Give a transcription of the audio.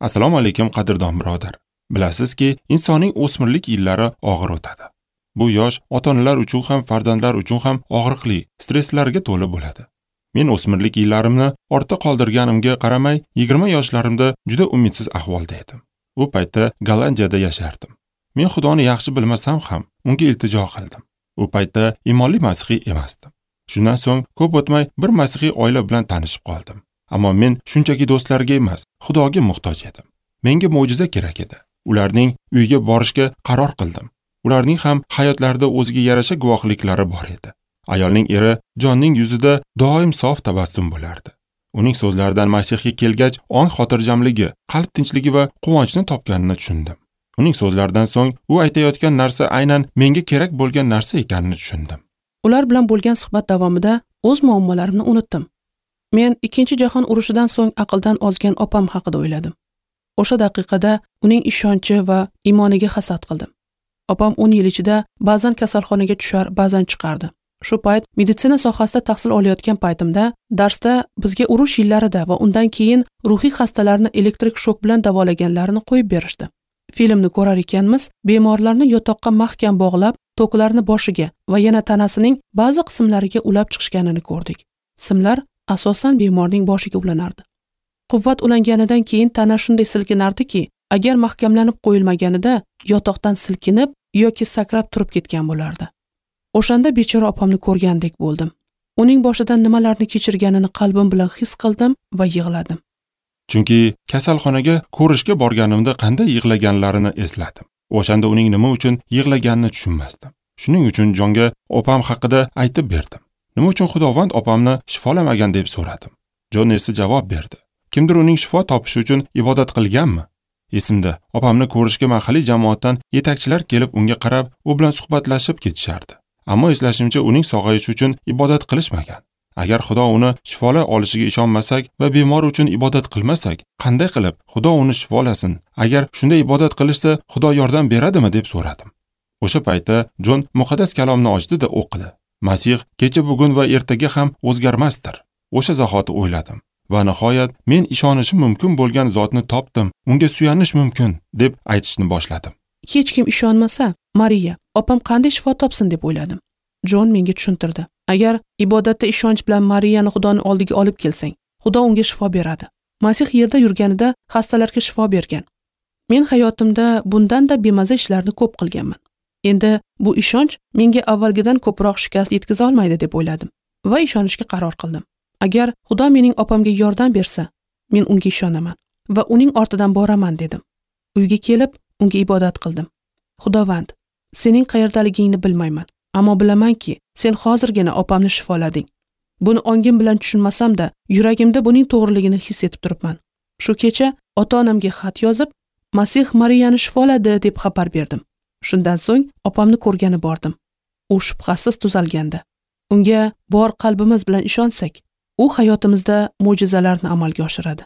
Assalomu alaykum qadrdon birodar. Bilasizki, insonning o'smirlik yillari og'ir o'tadi. Bu yosh ota-onalar uchun ham, farzandlar uchun ham og'riqli, stresslarga to'la bo'ladi. Men o'smirlik yillarimni ortda qoldirganimga qaramay, 20 yoshlarimda juda umidsiz ahvolda edim. U paytda Gollandiyada yashardim. Men Xudoni yaxshi bilmasam ham, unga iltijo qildim. U paytda iymonli masihiy emasdim. Shundan so'ng ko'p o'tmay bir masihiy oila bilan tanishib qoldim. Ammo men shunchaki do'stlarga emas, Xudoga muhtoj edim. Menga mo'jiza kerak edi. Ularning uyiga borishga qaror qildim. Ularning ham hayotlarida o'ziga yarasha guvohliklari bor edi. Ayolning eri Jonning yuzida doim sof tabassum bo'lardi. Uning so'zlaridan Masihga kelgach, ong xotirjamligi, qalb tinchligi va quvonchni topganini tushundim. Uning so'zlaridan so'ng u aytayotgan narsa aynan menga kerak bo'lgan narsa ekanini tushundim. Ular bilan bo'lgan suhbat davomida o'z muammolarimni unutdim. Men 2-jahon urushidan so'ng aqldan ozgan opam haqida o'yladim. O'sha daqiqada uning ishonchi va iymoniga hasad qildim. Opam 10 yil ichida ba'zan kasalxonaga tushar, ba'zan chiqardi. Shu payt meditsina sohasida tahsil olayotgan paytimda darsda bizga urush yillarida va undan keyin ruhiy xastalarni elektrik shok bilan davolaganlarini qo'yib berishdi. Filmni ko'rar ekanmiz, bemorlarni yotoqqa mahkam bog'lab, toklarni boshiga va yana tanasining ba'zi qismlariga ulab chiqishganini ko'rdik. Simlar asosan bemorning boshiga ulanardi. Quvvat ulanganidan keyin tana shunday silkinardiki, agar mahkamlanib qo'yilmaganida yotoqdan silkinib yoki sakrab turib ketgan bo'lardi. O'shanda bechora opamni ko'rgandek bo'ldim. Uning boshidan nimalarni kechirganini qalbim bilan his qildim va yig'ladim. Chunki kasalxonaga ko'rishga borganimda qanday yig'laganlarini esladim. O'shanda uning nima uchun yig'laganini tushunmasdim. Shuning uchun Jonga opam haqida aytib berdim. Nima uchun Xudovand opamni shifolamagan deb so'radim. Jon esa javob berdi. Kimdir uning shifo topishi uchun ibodat qilganmi? Esimda, opamni ko'rishga mahalliy jamoatdan yetakchilar kelib unga qarab, u bilan suhbatlashib ketishardi. Ammo eslashimcha uning sog'ayishi uchun ibodat qilishmagan. Agar Xudo uni shifolay olishiga ishonmasak va bemor uchun ibodat qilmasak, qanday qilib Xudo uni shifolasin? Agar shunday ibodat qilishsa, Xudo yordam beradimi deb so'radim. O'sha paytda Jon muqaddas kalomni ochdi-da o'qidi. Masih kecha, bugun va ertaga ham o'zgarmasdir. O'sha zahoti o'yladim. Va nihoyat men ishonishim mumkin bo'lgan zotni topdim, unga suyanish mumkin deb aytishni boshladim. Hech kim ishonmasa, Mariya, opam qanday shifo topsin deb o'yladim. Jon menga tushuntirdi. Agar ibodatda ishonch bilan Mariyani Xudoning oldiga olib kelsang, Xudo unga shifo beradi. Masih yerda yurganida xastalarga shifo bergan. Men hayotimda bundan-da bemaza ishlarni ko'p qilganman. Endi bu ishonch menga avvalgidan ko'proq shikast yetkaza olmaydi deb o'yladim va ishonishga qaror qildim. Agar Xudo mening opamga yordam bersa, men unga ishonaman va uning ortidan boraman dedim. Uyga kelib, unga ibodat qildim. Xudovand, sening qayerdaligingni bilmayman, ammo bilamanki, sen hozirgina opamni shifolading. Buni ongim bilan tushunmasam-da, yuragimda buning to'g'riligini his etib turibman. Shu kecha ota-onamga xat yozib, Masih Mariyani shifoladi deb xabar berdim. Shundan so'ng opamni ko'rgani bordim. U shubhasiz tuzalgandi. Unga bor qalbimiz bilan ishonsak, u hayotimizda mo'jizalarni amalga oshiradi.